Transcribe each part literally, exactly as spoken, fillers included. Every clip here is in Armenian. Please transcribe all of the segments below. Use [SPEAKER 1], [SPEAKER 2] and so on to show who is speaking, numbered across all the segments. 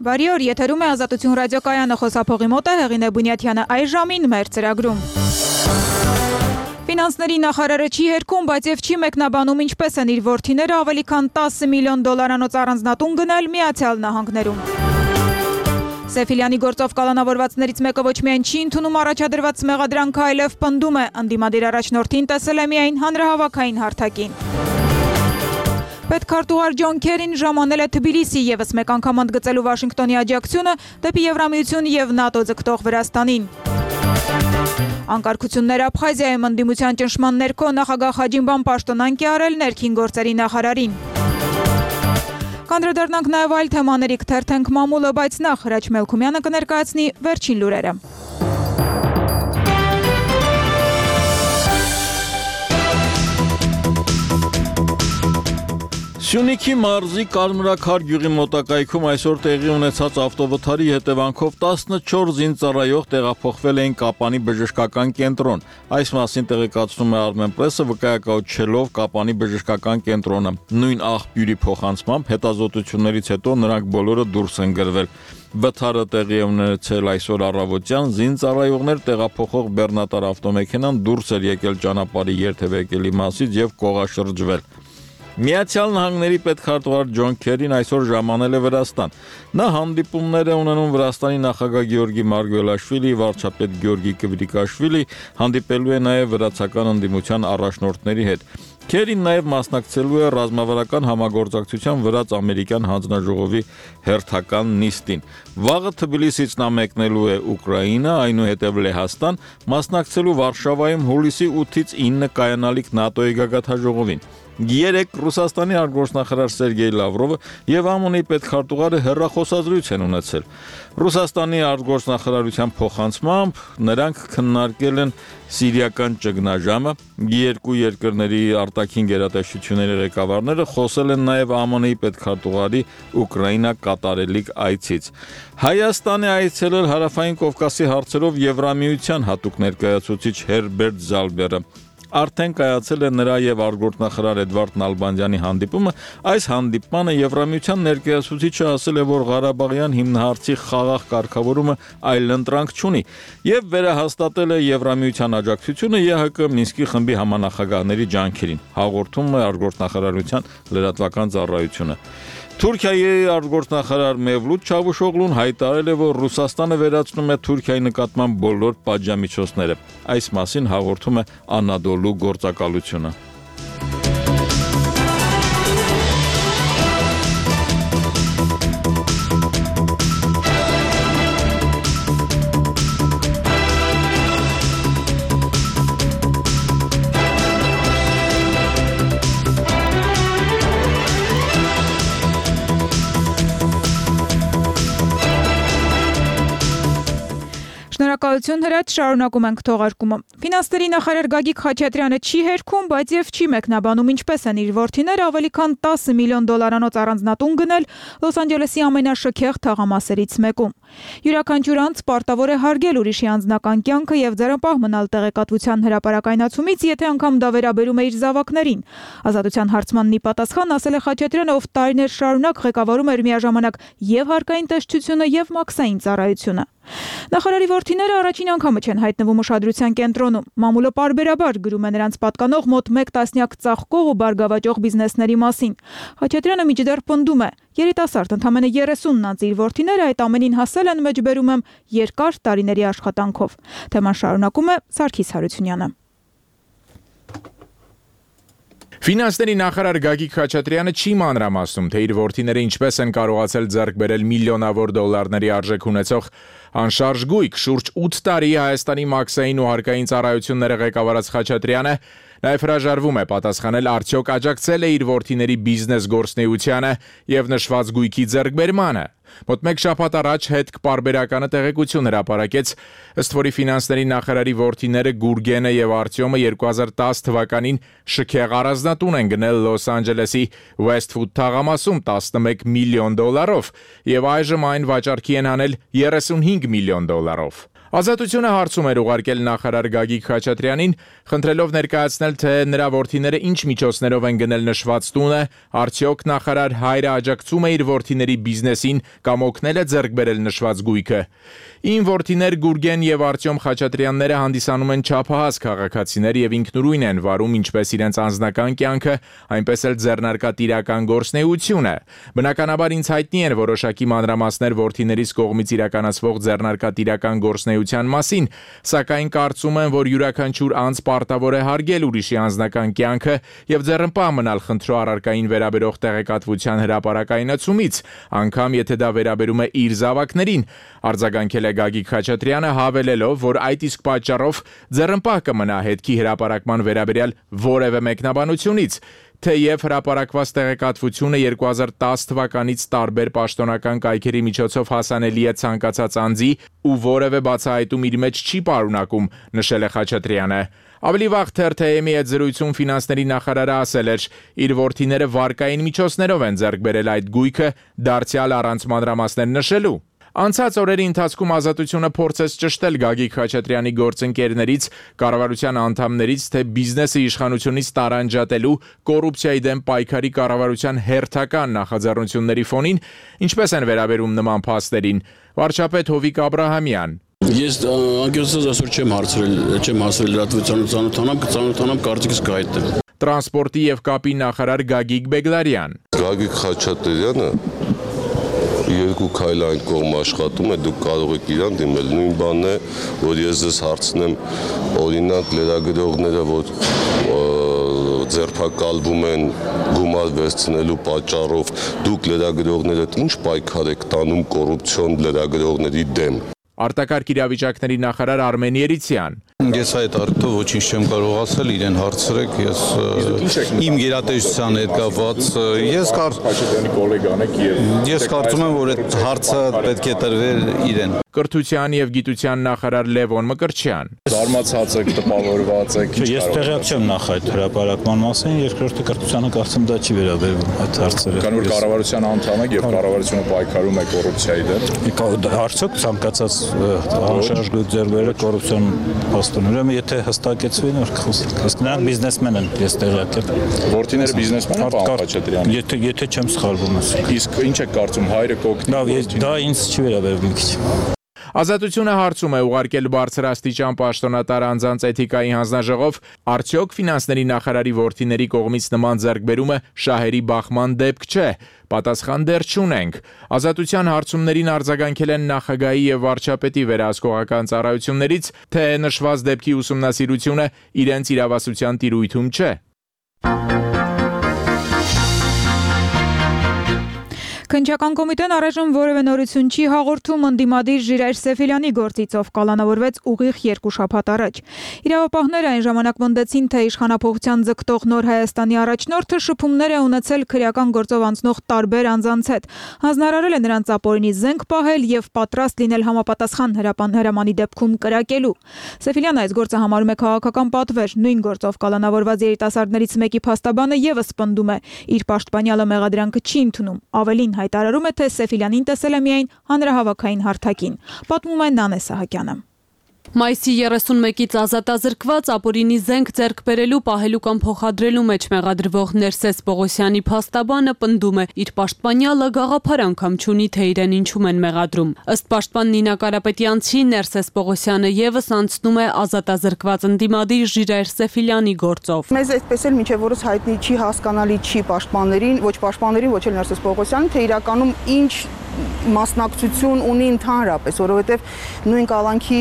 [SPEAKER 1] Բարի օր, եթերում է Ազատություն ռադիոկայանը, խոսափողի մոտ է Հեղինե Բունյաթյանը, այս ժամին մեր ծրագրում։ Ֆինանսների նախարարը չի հերքում, բայց եւ չի մեկնաբանում ինչպես են իր որդիները ավելի քան տասը միլիոն դոլարանոց առանձնատուն գնել Միացյալ Նահանգներում։ Սեֆիլյանի գործով կալանավորվածներից մեկը ոչ միայն չի ընդունում առաջադրված մեղադրանքը, այլև պնդում է, ընդդիմադիր առաջնորդին տեսել է միայն հանրահավաքային հարթակին։ Պետքարտուղար Ջոն Քերին ժամանել է Թբիլիսի ևս մեկ անգամ ընդգծելու Վաշինգտոնի աջակցությունը դեպի Եվրամիություն եւ ՆԱՏՕ ձգտող Վրաստանին։ Անկարգություններ Աբխազիայում ընդդիմության ճնշման ներքո նախագահ Խաջինբան պաշտոնանկ է արել ներքին գործերի նախարարին։ Կանդրադառնանք նաև այլ թեմաների, կթերթենք մամուլը, բայց նախ Հրաչ Մելքումյանը կներկայացնի վերջին լուրերը։
[SPEAKER 2] Սյունիքի մարզի Կարմրաքար գյուղի մոտակայքում այսօր տեղի ունեցած ավտովթարի հետևանքով տասնչորս զինծառայող տեղափոխվել էին Կապանի բժշկական կենտրոն։ Այս մասին տեղեկացնում է Armenpress-ը, վկայակոչելով Կապանի բժշկական կենտրոնը։ Նույն աղբյուրի փոխանցմամբ հետազոտություններից հետո նրանք բոլորը դուրս են գրվել։ Վթարը տեղի է ունեցել այսօր առավոտյան, զինծառայողներ տեղափոխող բեռնատար ավտոմեքենան դուրս էր եկել ճանապարհի երթևեկելի մասից եւ կողաշրջվել։ Միացյալ Նահանգների պետքարտուղար Ջոն Քերին այսօր ժամանել է Վրաստան։ Նա հանդիպումներ է ունենում Վրաստանի նախագահ Գեորգի Մարգվելաշվիլի, վարչապետ Գեորգի Կվրիկաշվիլի, հանդիպելու է նաև վրացական ընդդիմության առաջնորդների հետ։ Քերին նաև մասնակցելու է ռազմավարական համագործակցության վրաց-ամերիկյան հանձնաժողովի հերթական նիստին։ Վաղը Թբիլիսից նա մեկնելու է Ուկրաինա, այնուհետև Լեհաստան, մասնակցելու Վարշավայում հուլիսի ութից ինը կայանալիք ՆԱՏՕ-ի գագաթնաժողովին։ Երեկ Ռուսաստանի արտգործնախարար Սերգեյ Լավրովը եւ ԱՄՆ-ի պետքարտուղարը հեռախոսազրույց են ունեցել։ Ռուսաստանի արտգործնախարարության փոխանցմամբ նրանք քննարկել են սիրիական ճգնաժամը, երկու երկրների արտաքին գերատեսչությունների ղեկավարները խոսել են նաեւ ԱՄՆ-ի պետքարտուղարի Ուկրաինա կատարելիք այցից։ Հայաստան է այցելել Հարավային Կովկասի հարցերով Եվրամիության հատուկ ներկայացուցիչ Հերբերտ Զալբերը։ Արդեն կայացել է նրա եւ արտգործնախարար Էդվարդ Նալբանդյանի հանդիպումը։ Այս հանդիպմանը Եվրամիության ներկայացուցիչը ասել է, որ Ղարաբաղյան հիմնահարցի խաղաղ կարգավորումը այլընտրանք չունի եւ վերահաստատել է Եվրամիության աջակցությունը ԵՀԿ Մինսկի խմբի համանախագահների ջանքերին, հաղորդում է արտգործնախարարության լրատվական ծառայությունը։ Թուրքիայի արտգործնախարար Մևլութ Չավուշօղլուն հայտարարել է, որ Ռուսաստանը վերացնում է Թուրքիայի նկատմամբ բոլոր պատժամիջոցները։ Այս մասին հաղորդում է Անադոլու գործակալությունը։
[SPEAKER 1] Շնորհակալություն Հրաչ, շարունակում ենք թողարկումը։ Ֆինանսների նախարար Գագիկ Խաչատրյանը չի հերքում, բայց եւ չի մեկնաբանում ինչպես են իր որդիները ավելի քան տասը միլիոն դոլարանոց առանձնատուն գնել Լոս Անջելեսի ամենաշքեղ թաղամասերից մեկում։ Յուրաքանչյուր անձ պարտավոր է հարգել ուրիշի անձնական կյանքը եւ ձեռնպահ մնալ տեղեկատվության հրապարակայնացումից, եթե անգամ դա վերաբերում է իր զավակներին։ Ազատության հարցմանն ի պատասխան ասել է Խաչատրյանը, ով տարիներ շարունակ ղեկավարում էր միաժամանակ եւ հարկային տեսչությունը եւ մաքսային ծառայությունը։ Նախարարի որդիները առաջին անգամը չեն հայտնվում ուշադրության կենտրոնում։ Մամուլը պարբերաբար գրում է նրանց պատկանող մոտ մեկ տասնյակ ծաղկող ու բարգավաճող բիզնեսների մասին։ Խաչատրյանը միջդեռ պնդում է. երիտասարդ ընդամենը երեսունն անց իր որդիները այդ ամենին հասել են, մեջբերում եմ, երկար տարիների աշխատանքով։ Թեման շարունակում է Սարգիս Հարությունյանը։
[SPEAKER 3] Ֆինանսների նախարար Գագիկ Խաչատրյանը չի մանրամասնում, թե իր որդիները ինչպես են կարողացել ձեռք բերել միլիոնավոր դոլարների արժեք ունեցող անշարժ գույք։ Շուրջ ութ տարի Հայաստանի մաքսային ու հարկային ծառայությունները ղեկավարած Խաչատրյանը նաև հրաժարվում է պատասխանել, արդյոք աջակցել է իր որդիների բիզնես գործունեությանը եւ նշված գույքի ձեռքբերմանը։ Մոտ մեկ շաբաթ առաջ հետք պարբերականը տեղեկություն հրապարակեց, ըստ որի ֆինանսների նախարարի որդիները Գուրգենը եւ Արտյոմը երկու հազար տասը թվականին շքեղ առանձնատուն են գնել Լոս Անջելեսի Westwood թաղամասում տասնմեկ միլիոն դոլարով եւ այժմ այն վաճառքի են հանել երեսունհինգ միլիոն դոլարով։ Ազատությունը հարցում էր ուղարկել նախարար Գագիկ Խաչատրյանին, խնդրելով ներկայացնել, թե նրա որդիները ինչ միջոցներով են գնել նշված տունը, արդյոք նախարար հայրը աջակցում է իր որդիների բիզնեսին կամ օգնել է ձեռք բերել նշված գույքը։ Իմ որդիներ Գուրգեն եւ Արտյոմ Խաչատրյանները հանդիսանում են չափահաս քաղաքացիներ եւ ինքնուրույն են վարում ինչպես իրենց անձնական կյանքը, այնպես էլ ձեռնարկատիրական գործունեությունը։ Բնականաբար ինձ հայտնի են որոշակի մանրամասներ որդիներիս կողմից իրականացվող ձեռնարկատիրական գործունեության մասին, սակայն կարծում եմ, որ յուրաքանչյուր անձ պարտավոր է հարգել ուրիշի անձնական կյանքը եւ ձեռնպահ մնալ խնդրո առարկային վերաբերող տեղեկատվության հրապարակայնացումից, անգամ եթե դա վերաբերում է իր զավակներին, արձագանքել է Գագիկ Խաչատրյանը, հավելելով, որ այդ իսկ պատճառով ձեռնպահ կմնա հետքի հրապարակման վերաբերյալ որևէ մեկնաբանությունից, թեև հրապարակված տեղեկատվությունը երկու հազար տասը թվականից տարբեր պաշտոնական կայքերի միջոցով հասանելի է ցանկացած անձի ու որևէ բացահայտում իր մեջ չի պարունակում, նշել է Խաչատրյանը։ Ավելի վաղ թերթ-ի հետ զրույցում ֆինանսների նախարարը ասել էր, իր որդիները վարկային միջոցներով են ձեռք բերել այդ գույքը, դարձյալ առանց մանրամասներ նշելու։ Անցած օրերի ընթացքում Ազատությունը փորձեց ճշտել Գագիկ Խաչատրյանի գործընկերներից, կառավարության անդամներից, թե բիզնեսը իշխանությունից տարանջատելու, կոռուպցիայի դեմ պայքարի կառավարության հերթական նախաձեռնությունների ֆոնին ինչպես են վերաբերում նման փաստերին։ Վարչապետ Հովիկ Աբրահամյան.
[SPEAKER 4] Ես անկեղծած այսօր չեմ հարցրել, չեմ հասել լրատվությանը ծանոթանամ, կծանոթանամ կարծիքս կհայտնեմ։
[SPEAKER 3] Տրանսպորտի եւ կապի նախարար Գագիկ Բեգլարյան.
[SPEAKER 5] Գագիկ Խաչատրյանը երկու քայլ այն կողմ աշխատում է, դուք կարող եք իրան դիմել։ Նույն բանն է, որ ես ձեզ հարցնեմ, օրինակ լրագրողները, որ ձերբակալվում են գումար վերցնելու պատճառով, դուք լրագրողներդ ինչ պայքար եք տանում կոռուպցիոն լրագրողների դեմ։
[SPEAKER 3] Արտակարգ իրավիճակների նախարար Արմեն Երիցյան.
[SPEAKER 6] Ես այդ արդյոք ոչինչ չեմ կարող ասել, իրեն հարցրեք, ես իմ գերատեսչության հետ կապված, ես ես կարծում եմ, որ այդ հարցը պետք է տրվեր իրեն։
[SPEAKER 3] Կրթության եւ գիտության նախարար Լևոն Մկրտչյան.
[SPEAKER 7] Զարմացած եք, տպավորված եք։ Ես տեղյակ չեմ նախ այդ հրապարակման մասին, երկրորդը կրթությանը կարծեմ դա չի վերաբերվում այդ հարցերը։
[SPEAKER 3] Քանի որ կառավարության անդամ եք եւ կառավարությունը պայքարում է կոռուպցիայի դեմ։
[SPEAKER 7] Արդյոք ցանկացած անշարժ ձեռբերը կոռուպցիոն փաստուն, ուրեմն եթե հստակեցվի, որ նրանք բիզնեսմեն են, ես տեղյակ եմ։
[SPEAKER 3] Որդիները բիզնեսմեն են, պարոն Խաչատրյան։
[SPEAKER 7] Եթե եթե չեմ սխալվում,
[SPEAKER 3] իսկ ինչ եք կարծում, հայրը կօգնի։
[SPEAKER 7] Լավ, դա ինձ չի վերաբերվում քիչ։
[SPEAKER 3] Ազատությունը հարցում է ուղարկել բարձրաստիճան պաշտոնատար անձանց էթիկայի հանձնաժողով, արդյոք ֆինանսների նախարարի որդիների կողմից նման ձեռքբերումը շահերի բախման դեպք չէ։ Պատասխան դեռ չունենք։ Ազատության հարցումներին արձագանքել են նախագահի եւ վարչապետի վերահսկողական ծառայություններից, թե նշված դեպքի ուսումնասիրությունը իրենց իրավասության տիրույթում չէ։
[SPEAKER 1] Քննչական կոմիտեն առայժմ որևէ նորություն չի հաղորդում ընդդիմադիր Ժիրայր Սեֆիլյանի գործիցով կալանավորվեց ուղիղ երկու շաբաթ առաջ։ Իրավապահները այն ժամանակ մնդեցին, թե իշխանափոխության ձգտող Նոր Հայաստանի առաջնորդը շփումներ է ունեցել քրեական գործով անցնող տարբեր անձանց հետ, հանձնարարել է նրանց ապօրինի զենք պահել եւ պատրաստ լինել համապատասխան հրամանի դեպքում կրակելու։ Սեֆիլյանը այս գործը համարում է քաղաքական պատվեր, նույն գործով կալանավորված երիտասարդներից մեկի փաստաբանը եւս պնդում է, իր պաշտպանյալը մեղադրանքը չի ընդունում, ավելին հայտարարում է, թե Սեֆիլյանին տեսել է միայն հանրահավաքային հարթակին, պատմում է Նանե Սահակյանը։
[SPEAKER 8] Մայիսի երեսունմեկից ազատազրկված ապօրինի զենք ձեռք բերելու, պահելու կամ փոխադրելու մեջ մեղադրվող Ներսես Պողոսյանի փաստաբանը պնդում է, իր պաշտպանյալը գաղափար անգամ չունի, թե իրեն ինչում են մեղադրում։ Ըստ պաշտպան Նինա Կարապետյանցի, Ներսես Պողոսյանը եւս անցնում է ազատազրկված ընդդիմադիր Ժիրայր Սեֆիլյանի գործով։
[SPEAKER 9] Մեզ այդպես էլ մինչև որս հայտնի չի, հասկանալի չի պաշտպաններին, ոչ պաշտպաններին, ոչ էլ Ներսես Պողոսյանին, թե իրականում ինչ մասնակցություն ունի ընդհանրապես, որովհետև նույն կալանքի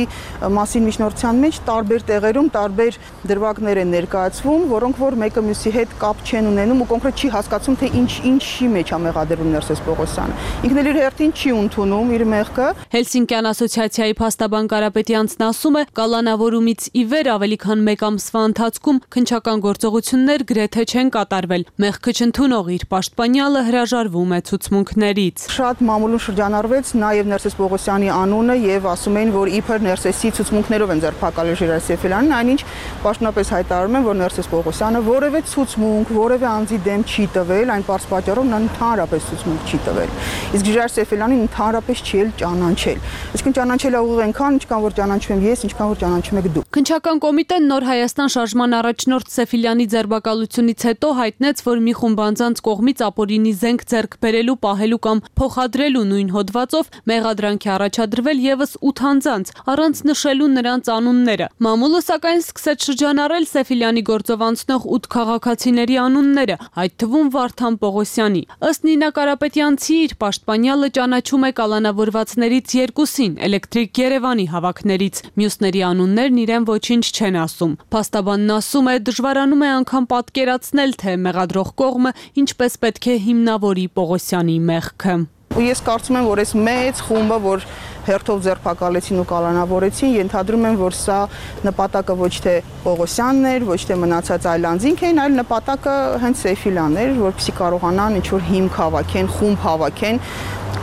[SPEAKER 9] մասին միջնորդության մեջ տարբեր տեղերում տարբեր դրվագներ են ներկայացվում, որոնք որ մեկը մյուսի հետ կապ չեն ունենում ու կոնկրետ չի հասկացում, թե ինչ ինչի մեջ է մեղադրվում Ներսես Պողոսյանը։ Ինքն էլ իր հերթին չի ընդունում իր մեղքը։
[SPEAKER 8] Հելսինկյան ասոցիացիայի փաստաբան Կարապետյանցն ասում է, կալանավորումից ի վեր ավելի քան մեկ ամսվա ընթացքում քննչական գործողություններ գրեթե չեն կատարվել։ Մեղքը չընդունող իր պաշտպանյալը հրաժարվում է ցուցմունքներից։
[SPEAKER 9] Շատ մամուլում շրջանառվեց նաև Ներսես Պողոսյանի անունը եւ ասում էին, որ իբր Ներսեսի ցուցմունքներով են ձերբակալել Ժիրայր Սեֆիլյանին, այնինչ պաշտոնապես հայտարարում են, որ Ներսես Պողոսյանը որևէ ցուցմունք, որևէ անձի դեմ չի տվել, այն պարզ պատճառով նա ընդհանրապես ցուցմունք չի տվել։ Իսկ Ժիրայր Սեֆիլյանին ընդհանրապես չի էլ ճանաչել։ Այսինքն ճանաչել է ուղիղ այնքան, ինչքան որ ճանաչում եմ ես, ինչքան որ ճանաչում եք դուք։
[SPEAKER 8] Քննչական կոմիտեն Նոր Հայաստան շարժման առաջնորդ Սեֆիլյանի ձերբակալությունից հետո հայտնեց, որ մի խումբ անձանց կողմից ապօրինի զենք ձեռք բերելու, պահելու կամ փոխադրելու նույն հոդվածով մեղադրանք է առաջադրվել եւս ութ անձանց, առանց նշելու նրանց անունները։ Մամուլը սակայն սկսեց շրջանառել Սեֆիլյանի գործով անցնող ութ քաղաքացիների անունները, այդ թվում Վարդան Պողոսյանի։ Ըստ Նինա Կարապետյանցի, իր պաշտպանյալը ճանաչում է կալանավորվածներից երկուսին, Էլեկտրիկ Երևանի հավաքներից։ Մյուսների անուններն իրեն ոչինչ չեն ասում։ Փաստաբանն ասում է, դժվարանում է անգամ պատկերացնել, թե մեղադրող կողմը ինչպես պետք է հիմնավորի Պողոսյանի մեղքը։
[SPEAKER 9] Ու ես կարծում եմ, որ այս մեծ խումբը, որ հերթով ձերբակալեցին ու կալանավորեցին, ենթադրում եմ, որ սա նպատակը ոչ թե Պողոսյանն էր, ոչ թե մնացած այլ անձինք էին, այլ նպատակը հենց Սեֆիլյանն էր, որպեսզի կարողանան ինչ-որ հիմք հավաքեն, խումբ հավաքեն,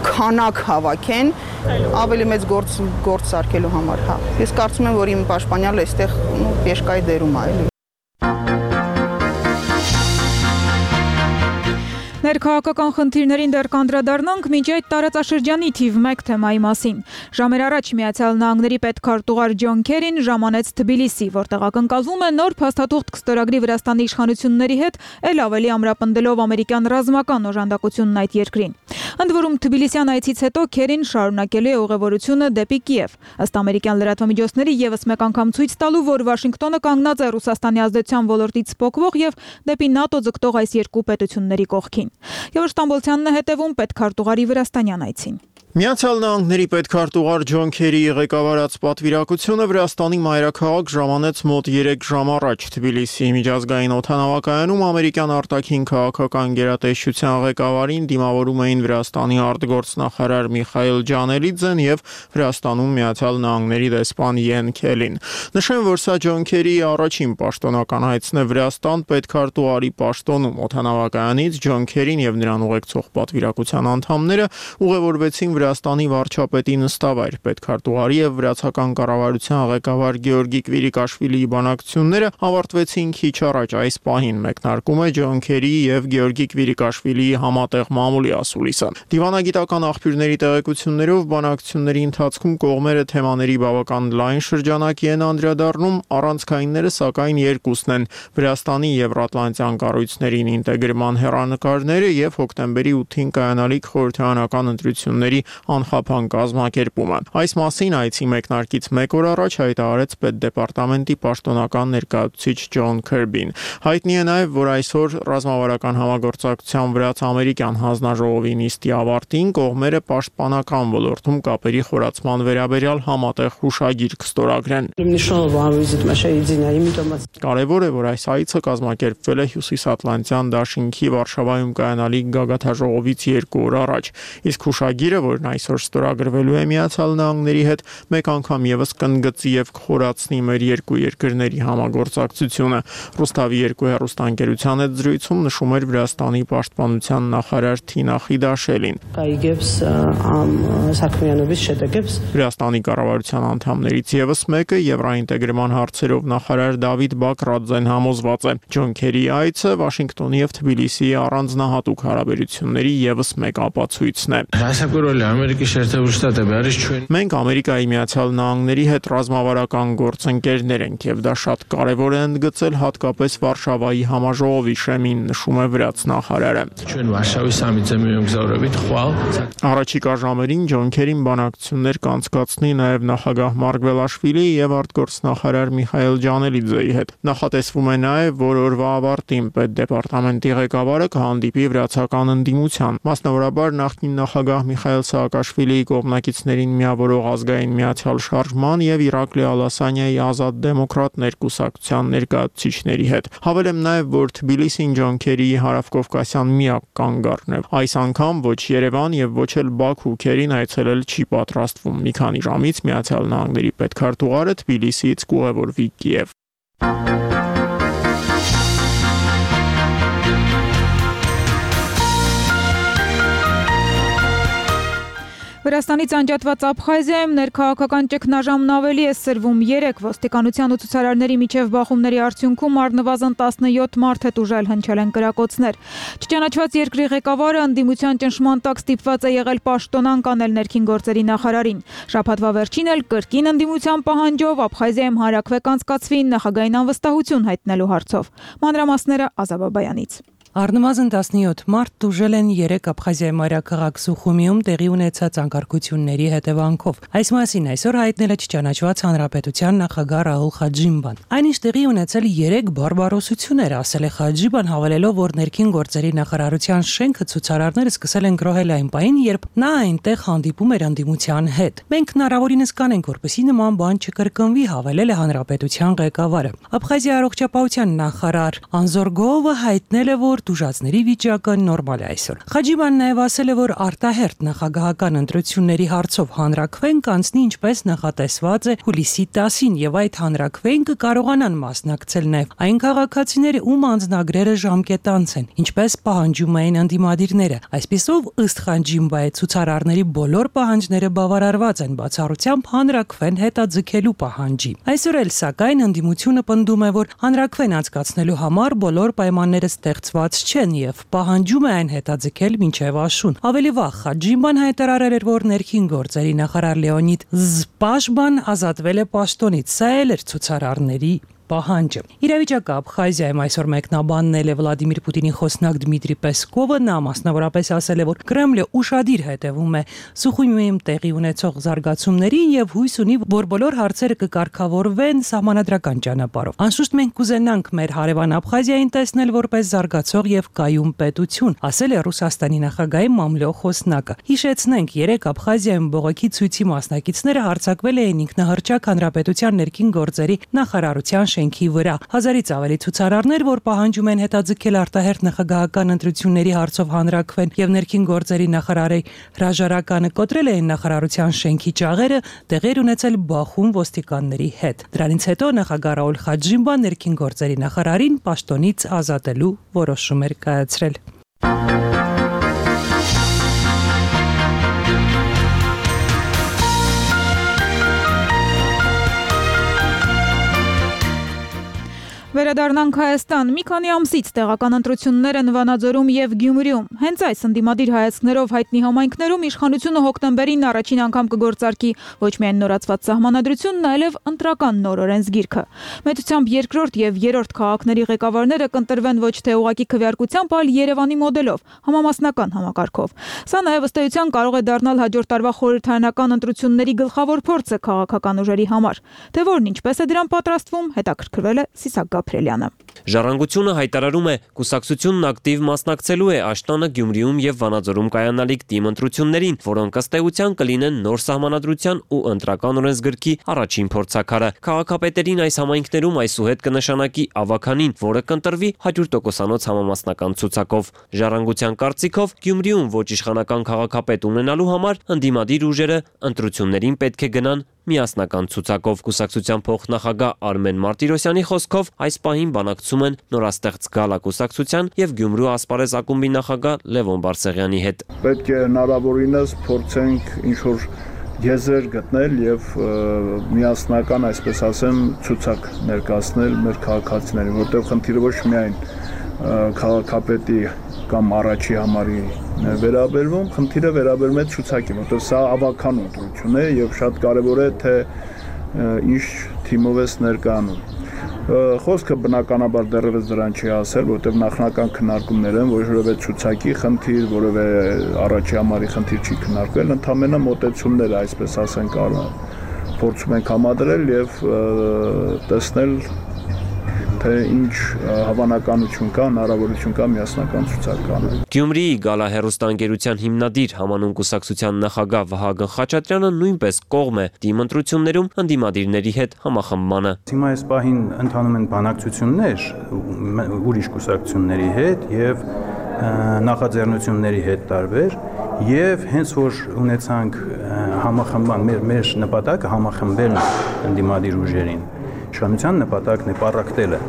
[SPEAKER 9] քանակ հավաքեն, ավելի մեծ գործ գործ սարքելու համար, հա։ Ես կարծում եմ, որ իմ պաշտպանյալը այստեղ պեշկայի դերում է, էլի։
[SPEAKER 1] Ներքաղաքական խնդիրներին դեռ կանդրադառնանք մինչ այդ տարածաշրջանի թիվ մեկ թեմայի մասին։ Ժամեր առաջ Միացյալ Նահանգների պետքարտուղար Ջոն Քերին ժամանեց Թբիլիսի, որտեղ ակնկալվում է նոր փաստաթուղթ կստորագրի Վրաստանի իշխանությունների հետ, ել ավելի ամրապնդելով ամերիկյան ռազմական օժանդակությունն այդ երկրին։ Ընդ որում Թբիլիսյան այցից հետո Քերին շարունակելու է ուղևորությունը դեպի Կիև։ Ըստ ամերիկյան լրատվամիջոցների եւս մեկ անգամ ցույց տալու, որ Վաշինգտոնը կանգնած է Ռուսաստանի ազդեցության ոլորտից փոխվող եւ դեպի ՆԱՏՕ ձգտող այս երկու պետությունների կողքին։ Եվ Ստամբոլցյանն է հետևում պետքարտուղարի Վրաստանյան այցին։
[SPEAKER 10] Միացյալ Նահանգների պետքարտուղար Ջոն Քերիի ղեկավարած պատվիրակությունը Վրաստանի մայրաքաղաք ժամանեց մոտ երեք ժամ առաջ Թբիլիսի միջազգային օդանավակայանում ամերիկյան արտաքին քաղաքական գերատեսչության ղեկավարին դիմավորում էին Վրաստանի արտգործնախարար Միխայիլ Ջանելիձեն եւ Վրաստանում Միացյալ Նահանգների դեսպան Յեն Քելին։ Նշեմ, որ սա Ջոն Քերիի առաջին պաշտոնական այցն է Վրաստան պետքարտուղարի պաշտոնում օդանավակայանից Ջոն Քերին եւ նրան ուղեկցող պատվիրակության անդամները ուղևորվեցին Վրաստանի վարչապետի նստավայր պետքարտուղարի եւ վրացական կառավարության ղեկավար Գեորգի Կվիրիկաշվիլիի բանակցությունները ավարտվեցին քիչ առաջ այս պահին մեկնարկում է Ջոն Քերիի եւ Գեորգի Կվիրիկաշվիլիի համատեղ մամուլի ասուլիսը։ Դիվանագիտական աղբյուրների տեղեկություններով բանակցությունների ընթացքում կողմերը թեմաների բավական լայն շրջանակի են անդրադառնում, առանցքայինները սակայն երկուսն են՝ Վրաստանի Եվրատլանտյան կառույցներին ինտեգրման հեռանկարները եւ հոկտեմբերի ութին կայանալիք խորհրդարանական ընտրությունների անխափան կազմակերպումը։ Այս մասին այցի մեկնարկից մեկ օր առաջ հայտարարեց պետդեպարտամենտի պաշտոնական ներկայացուցիչ Ջոն Քերբին։ Հայտնի է նաև, որ այսօր ռազմավարական համագործակցության վրաց-ամերիկյան հանձնաժողովի նիստի ավարտին կողմերը պաշտպանական ոլորտում կապերի խորացման վերաբերյալ համատեղ հուշագիր կստորագրեն։ Կարևոր է, որ այս այցը կազմակերպվել է Հյուսիսատլանտյան դաշինքի Վարշավայում կայանալիք գագաթաժողովից երկու օր առաջ, իսկ հուշագիրը, որն այսօր ստորագրվելու է Միացյալ Նահանգների հետ, մեկ անգամ եւս կընդգծի եւ կխորացնի մեր երկու երկրների համագործակցությունը։ Ռուստավի երկու հեռուստաընկերության հետ զրույցում նշում էր Վրաստանի պաշտպանության նախարար Թինա Խիդաշելին։ Վրաստանի կառավարության անդամներից եւս մեկը Եվրաինտեգրման հարցերով նախարար Դավիթ Բակրաձեն համոզված է։ Ջոն Քերիի այցը Վաշինգտոնի եւ Թբիլիսիի առանձնահատուկ հարաբերությունների եւս մեկ ապացույցն է։ Մենք Ամերիկայի Միացյալ Նահանգների հետ ռազմավարական գործընկերներ ենք եւ դա շատ կարեւոր է ընդգծել հատկապես Վարշավայի համաժողովի շեմին, նշում է վրաց նախարարը։ Առաջիկա ժամերին Ջոն Քերին բանակցություններ կանցկացնի նաեւ նախագահ Մարգվելաշվիլիի եւ արտգործնախարար Միխայիլ Ջանելիձեի հետ։ Նախատեսվում է նաեւ, որ օրվա ավարտին պետդեպարտամենտի ղեկավարը կհանդիպի վրացական ընդդիմության, մասնավորաբար նախկին նախագահ Միխայիլ Սաակաշվիլիի կողմնակիցներին միավորող ազգային միացյալ շարժման եւ Իրաքլի Ալասանյայի ազատ դեմոկրատներ կուսակցության ներկայացուցիչների հետ։ Հավելեմ նաեւ, որ Թբիլիսին Ջոն Քերիի հարավկովկասյան միակ կանգառն է։ Այս անգամ ոչ Երևան եւ ոչ էլ Բաքու Քերին այցելել չի պատրաստվում։ Մի քանի ժամից Միացյալ Նահանգների պետքարտուղարը Թբիլիսիից կուղևորվի Կիև։
[SPEAKER 1] Վրաստանից անջատված Աբխազիայում ներքաղաքական ճգնաժամն ավելի է սրվում։ Երեք ոստիկանության ու ցուցարարների միջև բախումների արդյունքում առնվազն տասնյոթ մարդ է տուժել, հնչել են կրակոցներ։ Չճանաչված երկրի ղեկավարը ընդդիմության ճնշման տակ ստիպված է եղել պաշտոնանկ անել ներքին գործերի նախարարին։ Շաբաթվա վերջին էլ կրկին ընդդիմության պահանջով Աբխազիայում հարակվեկ անցկացվի նախագահային անվստահություն հայտնելու հարցով։ Մանրամասները Ազա Բաբայանից։
[SPEAKER 11] Առնվազն տասնյոթ մարդ տուժել են երեք Աբխազիայի մայրաքաղաք Սուխումիում տեղի ունեցած անկարգությունների հետևանքով։ Այս մասին այսօր հայտնել է չճանաչված հանրապետության նախագահ Ռահուլ Խաջիմբան։ Այնինչ տեղի ունեցել երեք բարբարոսություններ, ասել է Խաջիմբան, հավելելով, որ ներքին գործերի նախարարության շենքը ցուցարարները սկսել են գրոհել այն պահին, երբ նա այնտեղ հանդիպում էր ընդդիմության հետ։ Մենք հնարավորինս կանենք, որպեսզի նման բան չկրկնվի, հավելել է հանրապետության ղեկավարը։ Աբխազիայի առողջապահության նախարար Անզորգովը հայտնել է, որ տուժածների վիճակը նորմալ է այսօր։ Խաջիմբան նաև ասել է, որ արտահերթ նախագահական ընտրությունների հարցով հանրաքվեն կանցնի ինչպես նախատեսված է հուլիսի տասին եւ այդ հանրաքվեն կկարողանան մասնակցել նաև այն քաղաքացիները, ում անձնագրերը ժամկետանց են, ինչպես պահանջում էին ընդդիմադիրները։ Այսպիսով, ըստ Խաջիմբայի, ցուցարարների բոլոր պահանջները բավարարված են, բացառությամբ հանրաքվեն հետաձգելու պահանջի։ Այսօր էլ սակայն ընդդիմությունը պնդում է, որ հանրաքվեն անցկացնելու համար բոլոր պայմանները ստեղծված չեն եւ պահանջում է այն հետաձգել մինչեւ աշուն։ Ավելի վաղ Խաջիմբան հայտարարել էր, որ ներքին գործերի նախարար Լեոնիդ Զպաշբան ազատվել է պաշտոնից։ Սա էլ էր ցուցարարների պահանջը։ Իրավիճակը Աբխազիայում այսօր մեկնաբաննել է Վլադիմիր Պուտինի խոսնակ Դմիտրի Պեսկովը, նա մասնավորապես ասել է, որ Կրեմլը ուշադիր հետևում է Սուխումիում տեղի ունեցող զարգացումներին եւ հույս ունի, որ բոլոր հարցերը կկարգավորվեն սահմանադրական ճանապարհով։ Անշուշտ մենք կուզենանք մեր հարևան Աբխազիային տեսնել որպես զարգացող եւ կայուն պետություն, ասել է Ռուսաստանի նախագահի մամլո խոսնակը։ Հիշեցնենք, երեք Աբխազիայում բողոքի ցույցի մասնակիցները հարձակվել էին ինքնահռչակ հանրապետության ներքին գործերի նախարարության շենքի վրա։ Հազարից ավելի ցուցարարներ, որ պահանջում են հետաձգել արտահերթ նախագահական ընտրությունների հարցով հանրաքվեն եւ ներքին գործերի նախարարի հրաժարականը կոտրել էին նախարարության շենքի ճաղերը, տեղեր ունեցել բախում ոստիկանների հետ։ Դրանից հետո նախագահ Ռաուլ Խաջիմբան ներքին գործերի նախարարին պաշտոնից ազատելու որոշում էր կայացրել։
[SPEAKER 1] Վերադառնանք Հայաստան։ Մի քանի ամսից տեղական ընտրություններ են Վանաձորում եւ Գյումրիում։ Հենց այս ընդդիմադիր հայացքներով հայտնի համայնքներում իշխանությունը հոկտեմբերին առաջին անգամ կգործարկի ոչ միայն նորացված սահմանադրությունն, այլև ընտրական նոր օրենսգիրքը։ Մեծությամբ երկրորդ եւ երրորդ քաղաքների ղեկավարները կընտրվեն ոչ թե ուղղակի քվեարկությամբ, այլ Երևանի մոդելով, համամասնական համակարգով։ Սա նաեւ ըստ էության կարող է դառնալ հաջորդ տարվա խորհրդարանական ընտրությունների գլխավոր փորձը քաղաքական ուժերի համար։ Թե որն ինչպես է դրան պատրաստվում, հետաքրքրվել է Սիսակ Ապրելյանը։
[SPEAKER 12] Ժառանգությունը հայտարարում է, կուսակցությունն ակտիվ մասնակցելու է Աշտանը, Գյումրիում եւ Վանաձորում կայանալիք թիմ ընտրություններին, որոնք ըստ էության կլինեն նոր սահմանադրության ու ընտրական օրենսգրքի առաջին փորձաքարը։ Քաղաքապետերին այս համայնքներում այսուհետ կնշանակի ավականին, որը կընտրվի հաջորդ տոկոսանոց համամասնական ցուցակով։ Ժառանգության կարծիքով Գյումրիում ոչ իշխանական քաղաքապետ ունենալու համար ընդդիմադիր ուժերը ընտրություններին պետք է գնան միասնական ցուցակով։ Կուսակցության փոխնախագահ Արմեն Մարտիրոսյանի խոսքով այս պահին բանակցում են նորաստեղծ Գալա կուսակցության եւ Գյումրու ասպարեզ ակումբի նախագահ Լևոն Բարսեղյանի հետ։
[SPEAKER 13] Պետք է հնարավորինս փորձենք ինչ-որ եզրեր գտնել եւ միասնական, այսպես ասեմ, ցուցակ ներկայացնել մեր քաղաքացիներին, որտեղ խնդիրը ոչ միայն քաղաքապետի կամ առաջի համարի վերաբերվում, խնդիրը վերաբերում է ցուցակին, որտեղ սա ավական ընտրություն է եւ շատ կարեւոր է թե ինչ թիմով է ներկայանում։ Խոսքը բնականաբար դեռևս դրան չի ասել, որտեղ նախնական քննարկումներ են, որևէ ցուցակի խնդիր, որևէ առաջի համարի խնդիր չի քննարկվել, ընդհանրապես մոտեցումները, այսպես ասենք, փորձում ենք համադրել եւ տեսնել թե ինչ հավանականություն կա, հնարավորություն կա միասնական ցուցակ կանել։
[SPEAKER 12] Գյումրիի Գալա հեռուստաընկերության հիմնադիր համանուն կուսակցության նախագահ Վահագն Խաչատրյանը նույնպես կողմ է թիմ ընտրություններում ընդդիմադիրների հետ համախմբմանը։
[SPEAKER 14] Հիմա այս պահին ընթանում են բանակցություններ ուրիշ կուսակցությունների հետ եւ նախաձեռնությունների հետ տարբեր եւ հենց որ ունեցանք համախմբան մեր մեր նպատակը համախմբելն ընդդիմադիր ուժերին։ Իշխանության նպատակն է պառակտելը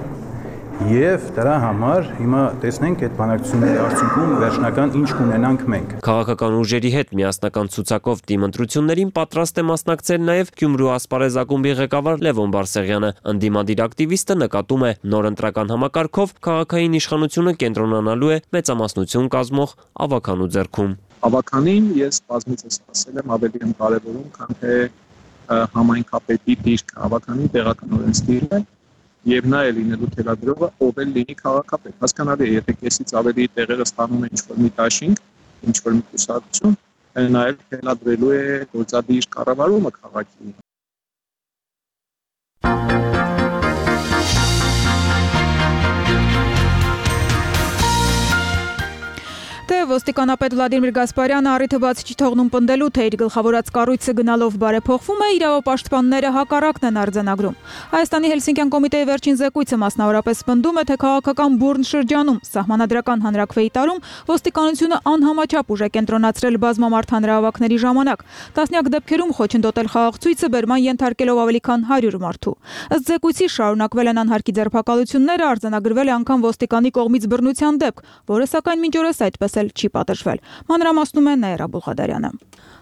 [SPEAKER 14] Եվ դրա համար հիմա տեսնենք այդ բանակցությունների արդյունքում վերջնական ինչ կունենանք մենք։
[SPEAKER 12] Քաղաքական ուժերի հետ միասնական ցուցակով դիմընտրություններին պատրաստ է մասնակցել նաև Գյումրու ասպարեզ ակումբի ղեկավար Լևոն Բարսեղյանը։ Ընդդիմադիր ակտիվիստը նկատում է նոր ընտրական համակարգով քաղաքային իշխանությունը կենտրոնանալու է մեծամասնություն կազմող ավականու ձեռքում։
[SPEAKER 15] Ավականին ես բազմիցս ասել եմ ավելի եմ կարևորում, քան թե համայնքապետի դիրքը, ավականին տեղականորեն ստիլը եւ նա է լինելու թելադրողը, ով էլ լինի քաղաքապետ։ Հասկանալի է, եթե կեսից ավելի տեղերը ստանում է ինչ-որ մի դաշինք, ինչ-որ մի կուսակցություն, նա էլ թելադրելու է գործադիր կառավարումը քաղաքի։
[SPEAKER 1] Թե ոստիկանապետ Վլադիմիր Գասպարյանը առիթը բաց չի թողնում պնդելու, թե իր գլխավորած կառույցը գնալով բարեփոխվում է, իրավապաշտպանները հակառակն են արձանագրում։ Հայաստանի Հելսինկյան կոմիտեի վերջին զեկույցը մասնավորապես պնդում է, թե քաղաքական բուռն շրջանում սահմանադրական հանրաքվեի տարում ոստիկանությունը անհամաչափ ուժ է կենտրոնացրել բազմամարդ հանրահավաքների ժամանակ։ Տասնյակ դեպքերում խոչընդոտել խաղաղցույցը բերման ենթարկելով ավելի քան հարյուր մարդու։ Ըստ զեկույցի շարունակվել են անհարկի ձերբակալությունները, արձանագրվել է անգամ ոստիկանի կողմից բռնության դեպք, որը սակայն մինչ օրս այդպես չի պատժվել։ Մանրամասնում է Նաիրա Բուլղադարյանը։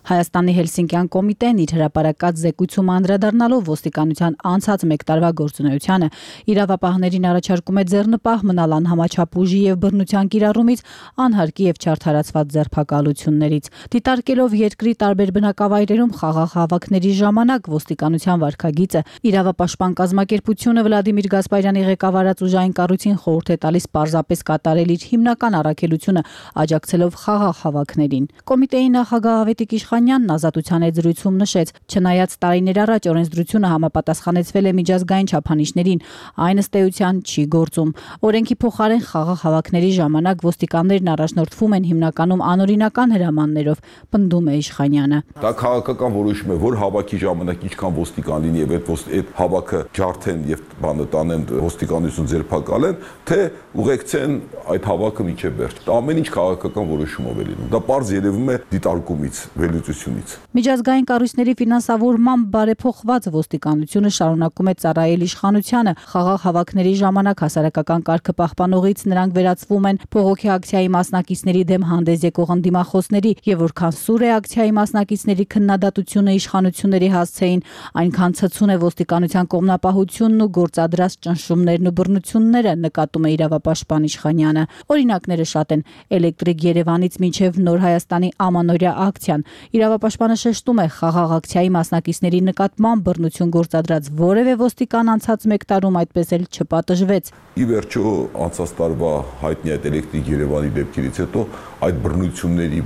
[SPEAKER 16] Հայաստանի Հելսինկյան կոմիտեն իր հրապարակած զեկույցում անդրադառնալով ոստիկանության անցած մեկ տարվա գործունեությանը իրավապահներին առաջարկում է ձեռնպահ մնալ անհամաչափ ուժի եւ բռնության կիրառումից, անհարկի եւ չարդարացված ձերբակալություններից։ Դիտարկելով երկրի տարբեր բնակավայրերում խաղաղ հավաքների ժամանակ ոստիկանության վարքագիծը, իրավապաշտպան կազմակերպությունը Վլադիմիր Գասպարյանի ղեկավարած ուժային կառույցին խորհուրդ է տալիս պարզապես կատարել իր հիմնական առաքելությունը, աջակցելով խաղաղ հավաքներին։ Կոմիտեի նախագահ Ավետիք Իշխանյանն ազատության այդ զրույցում նշեց, չնայած տարիներ առաջ օրենսդրությունը համապատասխանեցվել է միջազգային չափանիշներին, այն ըստ էության չի գործում։ Օրենքի փոխարեն խաղաղ հավաքների ժամանակ ոստիկաններն առաջնորդվում են հիմնականում անօրինական հրամաններով, պնդում է Իշխանյանը։
[SPEAKER 17] Դա քաղաքական որոշում է, որ հավաքի ժամանակ ինչքան ոստիկան լինի եւ այդ այդ հավաքը ջարդեն եւ բանը տանեն ոստիկանություն ձերբակալեն, թե ուղեկցեն այդ հավաքը մինչեւ վերջ։ Ամեն ինչ քաղաքական որոշումով է լինում։ Դա պարզ երևում է դիտարկումից, վերլուծությունից։
[SPEAKER 16] Միջազգային կառույցների ֆինանսավորմամբ բարեփոխված ոստիկանությունը շարունակում է ծառայել իշխանությանը։ Խաղաղ հավաքների ժամանակ հասարակական կարգը պահպանողից նրանք վերածվում են բողոքի ակցիայի մասնակիցների դեմ հանդես եկող ընդդիմախոսների, եւ որքան սուր է ակցիայի մասնակիցների քննադատությունը իշխանությունների հասցեին, այնքան ցցուն է ոստիկանության կողմնապահությունն ու գործադրած ճնշումներն ու բռնությունները, նկատում է իրավապաշտպան Իշխանյանը։ Օրինակները շատ են՝ Էլեկտրիկ Երևանից մինչև Նոր Հայաստանի ամանորյա ակցիան։ Իրավապաշտպանը շեշտում է, խաղաղ ակցիայի մասնակիցների նկատմամբ բռնություն գործադրած որևէ ոստիկան անցած մեկ տարում այդպես էլ չպատժվեց։
[SPEAKER 17] Ի վերջո անցած տարվա հայտնի այդ Էլեկտրիկ Երևանի դեպքերից հետո այդ բռնությունների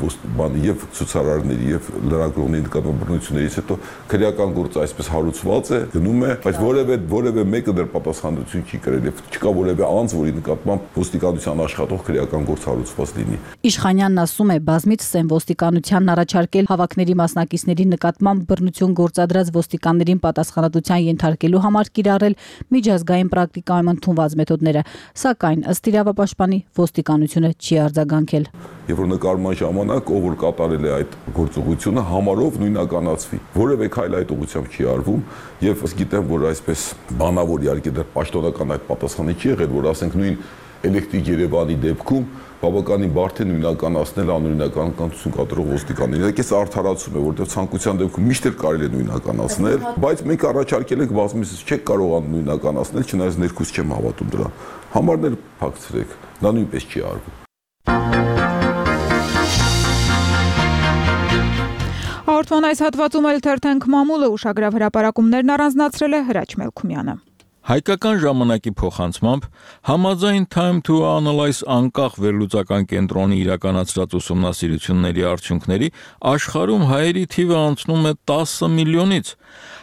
[SPEAKER 17] եւ ցուցարարների եւ լրագրողների նկատմամբ բռնություններից հետո քրեական գործը այսպես հարուցված է, գնում է, բայց որևէ որևէ մեկը դեռ պատասխանատվություն չի կրել եւ չկա որևէ անձ, որի նկատմամբ ոստիկանության աշխատող քրեական գործ հարուցված լինի։
[SPEAKER 16] Իշխանյանն ասում է, բազմիցս են ոստիկանությանն առաջարկել հավաքների մասնակիցների նկատմամբ բռնություն գործադրած ոստիկաններին պատասխանատվության ենթարկելու համար կիրառել միջազգային պրակտիկայում ընդունված մեթոդները, սակայն ըստ իրավապաշտպանի ոստիկանությունը չի արձագանքել։
[SPEAKER 17] Երբ որ նկարման ժամանակ ով որ կատարել է այդ գործողությունը համարով նույնականացվի։ Որևէ քայլ այդ ուղղությամբ չի արվում եւ ըստ գիտեմ, որ այսպես բանավոր իհարկե դեռ պաշտոնական այդ պատասխանը չի եղել, որ ասենք նույն Էլեկտրիկ Երևանի դեպքում բավականին բարդ է նույնականացնել անօրինական կանություն կատարող ոստիկաններին։ Դա կես արդարացում է, որտեղ ցանկության դեպքում միշտ էլ կարելի է նույնականացնել, բայց մենք առաջարկել ենք բազմիցս չեք կարողանում նույնականացնել, չնայած ներքուս չեմ հավատում դրան։ Համարներ փակցրեք, դա նույնպես չի արվում։
[SPEAKER 1] Հաղորդման այս հատվածում էլ թերթենք մամուլը ուշագրավ հրապարակումներն առանձնացրել է Հրաչ Մելքումյանը։
[SPEAKER 2] Հայկական ժամանակի փոխանցմամբ համաձայն Time to Analyze անկախ վերլուծական կենտրոնի իրականացրած ուսումնասիրությունների արդյունքների աշխարհում հայերի թիվը անցնում է տասը միլիոնից։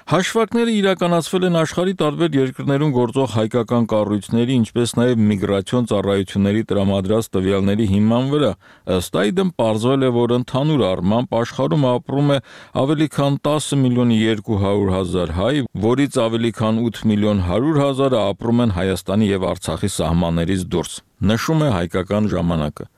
[SPEAKER 2] Հաշվարկները իրականացվել են աշխարհի տարբեր երկրներում գործող հայկական կառույցների, ինչպես նաև միգրացիոն ծառայությունների տրամադրած տվյալների հիման վրա։ Ըստ այդմ պարզվել է, որ ընդհանուր առմամբ աշխարհում ապրում է ավելի քան տասը միլիոն երկու հարյուր հազար հայ, որից ավելի քան ութ միլիոն հարյուր հազարը ապրում են Հայաստանի եւ Արցախի սահմաններից դուրս, նշում է Հայկական ժամանակը։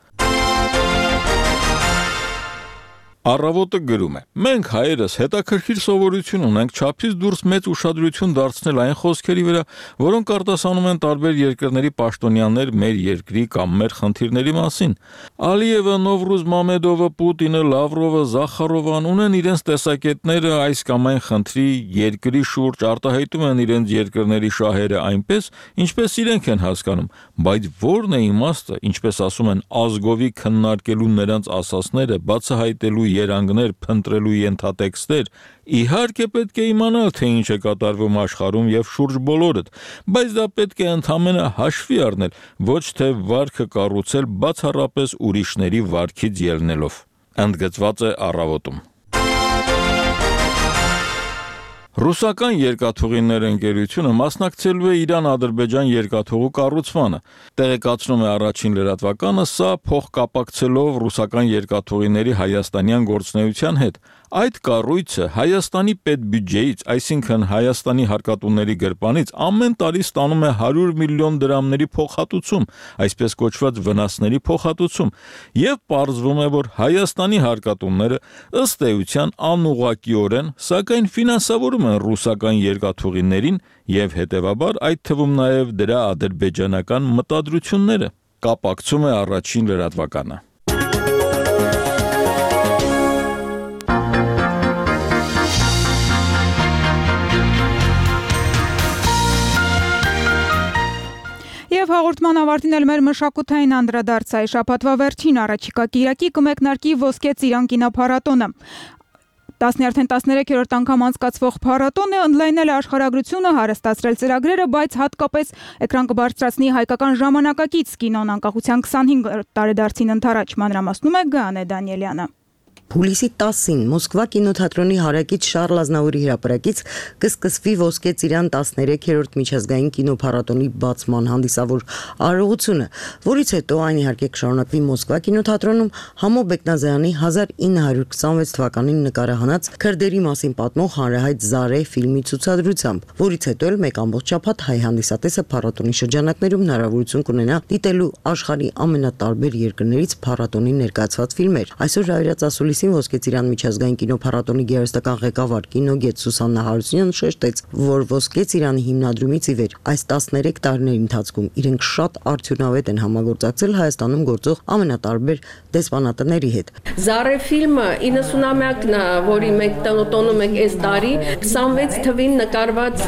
[SPEAKER 2] Առավոտը գրում է. մենք հայերս հետաքրքիր սովորություն ունենք չափից դուրս մեծ ուշադրություն դարձնել այն խոսքերի վրա, որոնք արտասանում են տարբեր երկրների պաշտոնյաներ մեր երկրի կամ մեր խնդիրների մասին։ Ալիևը, Նովրուզ Մամեդովը, Պուտինը, Լավրովը, Զախարովան ունեն իրենց տեսակետները այս կամ այն խնդրի երկրի շուրջ, արտահայտում են իրենց երկրների շահերը այնպես, ինչպես իրենք են հասկանում, բայց ո՞րն է իմաստը, ինչպես ասում են, ազգովի քննարկելու նրանց ասածները, բացահայտելու երանգներ, փնտրելու ենթատեքստեր, իհարկե պետք է իմանալ, թե ինչ է կատարվում աշխարհում եւ շուրջ բոլորդ, բայց դա պետք է ընդհանրապես հաշվի առնել, ոչ թե վարքը կառուցել բացառապես ուրիշների վարքից ելնելով։ Ընդգծված է Առավոտում։ Ռուսական երկաթուղիներ ընկերությունը մասնակցելու է Իրան-Ադրբեջան երկաթուղու կառուցմանը։ Տեղեկացնում է Առաջին լրատվականը, սա փոխկապակցելով ռուսական երկաթուղիների հայաստանյան գործունեության հետ։ Այդ կառույցը Հայաստանի պետբյուջեից, այսինքն Հայաստանի հարկատուների գրպանից ամեն տարի ստանում է հարյուր միլիոն դրամների փոխհատուցում, այսպես կոչված վնասների փոխհատուցում, եւ պարզվում է, որ Հայաստանի հարկատուները ըստ էության անուղղակիորեն, սակայն ֆինանսավորում են ռուսական երկաթուղիներին եւ հետեւաբար այդ թվում նաեւ դրա ադրբեջանական մտադրությունները։ Կապակցում է Առաջին լրատվականը։
[SPEAKER 1] Եվ հաղորդման ավարտին էլ մեր մշակութային անդրադարձայի շաբաթվա վերջին առաջիկա կիրակի կմեկնարկի Ոսկե ծիրան կինոփառատոնը։ Տասներորդ տասներեքերորդ անգամ անցկացվող փառատոնը ընդլայնել է աշխարհագրությունը, հարստացրել ծրագրերը, բայց հատկապես էկրան կբարձրացնի հայկական ժամանակակից կինոն անկախության քսանհինգ տարեդարձին ընթരാճ, մանրամասնում է Գանե Դանիելյանը։
[SPEAKER 18] Հուլիսի տասին Մոսկվա կինոթատրոնի հարակից Շարլ Ազնավուրի հրապարակից կսկսվի Ոսկե ծիրան տասներեքերորդ միջազգային կինոփառատոնի բացման հանդիսավոր արարողությունը, որից հետո այն իհարկե կշարունակվի Մոսկվա կինոթատրոնում Համո Բեկնազարյանի հազար ինը հարյուր քսանվեց թվականին նկարահանած քրդերի մասին պատմող հանրահայտ Զարե ֆիլմի ցուցադրությամբ, որից հետո էլ մեկ ամբողջ շաբաթ հայ հանդիսատեսը փառատոնի շրջանակներում հնարավորություն կունենա դիտելու աշխարհի ամենատարբեր երկրներից փառատոնի ներկայացված ֆիլմեր։ Այսօր Ռայրած ասուլիսին Ոսկե ծիրան միջազգային կինոփառատոնի գերստական ղեկավար կինոգետ Սուսաննա Հարությունյանը շեշտեց, որ Ոսկե ծիրանի հիմնադրումից ի վեր այս տասներեք տարիների ընթացքում իրենք շատ արդյունավետ են համագործակցել Հայաստանում գործող ամենատարբեր դեսպանատների հետ։
[SPEAKER 19] Զարե ֆիլմը իննսունամյակն է, որի մենք տոնում ենք այս տարի, քսանվեց թվին նկարված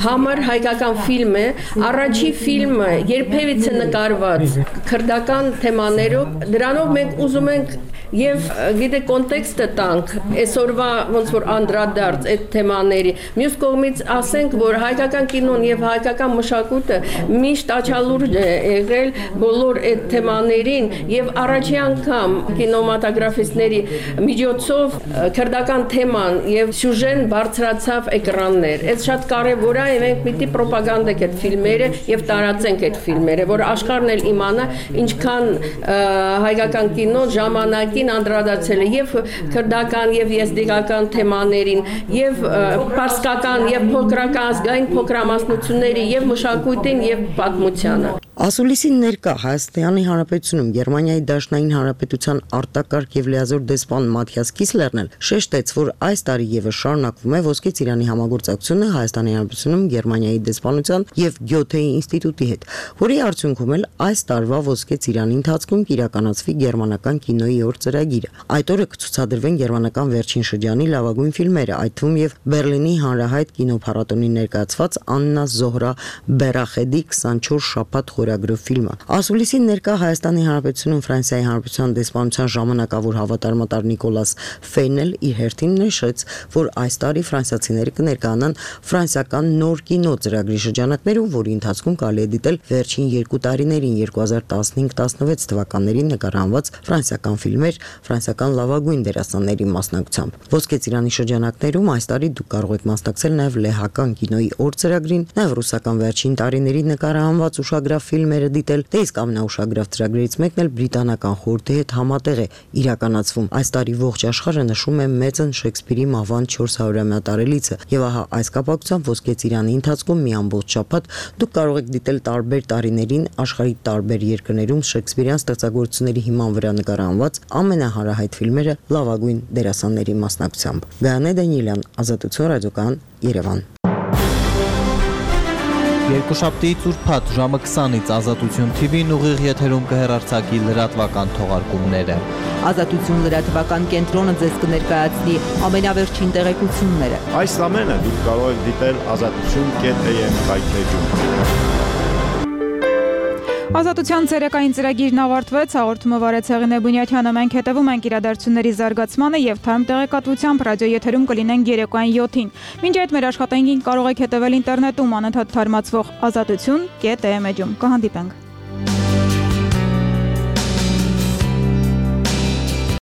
[SPEAKER 19] Համար հայկական ֆիլմ է, առաջի ֆիլմը երբևիցե նկարված քրդական թեմաներով, դրանով մենք ուզում ենք եւ գիտե կոնտեքստը տանք այսօրվա ոնց որ անդրադարձ այդ թեմաների։ Մյուս կողմից ասենք, որ հայկական կինոն եւ հայկական մշակույթը միշտ աչալուրջ է եղել բոլոր այդ թեմաներին եւ առաջի անգամ կինոմատոգրաֆիստների միջոցով քրդական թեման եւ սյուժեն բարձրացավ էկրաններ։ Այդ շատ կարեւոր է, մենք պիտի պրոպագանդենք այդ ֆիլմերը եւ տարածենք այդ ֆիլմերը, որ աշխարհն էլ իմանա ինչքան հայկական կինո ժամանակի անդրադարձել է եւ քրդական եւ եզդիկական թեմաներին եւ պարսկական եւ փոքրական ազգային փոքրամասնությունների եւ մշակույթին եւ պատմությանը։
[SPEAKER 18] Ասուլիսին ներկա Հայաստանի Հանրապետությունում Գերմանիայի Դաշնային Հանրապետության արտակարգ եւ լիազոր դեսպան Մաթիաս Կիսլերն էլ շեշտեց, որ այս տարի եւս շարունակվում է Ոսկե ծիրանի համագործակցությունը Հայաստանի Հանրապետությունում Գերմանիայի դեսպանության եւ Գյոթեի ինստիտուտի հետ, որի արդյունքում էլ այս տարվա Ոսկե ծիրանի ընթացքում կիրականացվի գերմանական կինոյի օր ծրագիրը։ Այդ օրը կցուցադրվեն գերմանական վերջին շրջանի լավագույն ֆիլմերը, այդ թվում եւ Բերլինի հանրահայտ կինոփառատոնի ներկայացված Աննա Զոհրա Բերախեդի քսանչորս շաբաթ խորագրով ֆիլմը։ Ասուլիսին ներկա Հայաստանի Հանրապետությունում Ֆրանսիայի Հանրապետության դեսպանության ժամանակավոր հավատարմատար Նիկոլաս Ֆեյնել իր հերթին նշեց, որ այս տարի ֆրանսիացիները կներկայանան ֆրանսիական նոր կինո ծրագրի շրջանակներում, որի ընթացքում կարելի է դիտել վերջին երկու տարիներին երկու հազար տասնհինգ տասնվեց թվականներին նկարահանված ֆրանսիական ֆիլմեր ֆրանսիական լավագույն դերասանների մասնակցությամբ։ Ոսկե ծիրանի շրջանակներում այս տարի դուք կարող եք մասնակցել նաև լեհական կինոյի օր ծրագրին, նաև ռուսական վերջին տարիների նկարահանված ուշագրավ ֆիլմ ֆիլմերը դիտել, դե իսկ ամենաուշագրավ ծրագրերից մեկն էլ բրիտանական խորհրդի հետ համատեղ է իրականացվում։ Այս տարի ողջ աշխարհը նշում է մեծն Շեքսպիրի մահվան չորսարորյա տարելիցը, եւ ահա այս կապակցությամբ Ոսկե ծիրանի ընթացքում մի ամբողջ շաբաթ դուք կարող եք դիտել տարբեր տարիներին աշխարհի տարբեր երկրներում Շեքսպիրյան ստեղծագործությունների հիման վրա նկարահանված ամենահարահայտ ֆիլմերը լավագույն դերասանների մասնակցությամբ։ Գայանե Դանիելյան, Ազատություն ռադիոկայան, Երևան։
[SPEAKER 20] Երկուշաբթիից ուրբաթ ժամը քսանից Ազատություն Թի Վին ուղիղ եթերում կհեռարձակի լրատվական թողարկումները։
[SPEAKER 21] Ազատություն լրատվական կենտրոնը ձեզ կներկայացնի ամենավերջին տեղեկությունները։
[SPEAKER 22] Այս ամենը դուք կարող եք դիտել ազատություն կետ էմ կայքեջում։
[SPEAKER 1] Ազատության ցերեկային ծրագիրն ավարտվեց, հաղորդումը վարեց Հեղինե Բունյաթյանը, մենք հետևում ենք իրադարձությունների զարգացմանը եւ թարմ տեղեկատվությամբ ռադիո եթերում կլինենք երեկոյան յոթին։ Մինչ այդ մեր աշխատանքին կարող եք հետևել ինտերնետում անընդհատ թարմացվող ազատություն կետ էմ էջում։ Կհանդիպենք։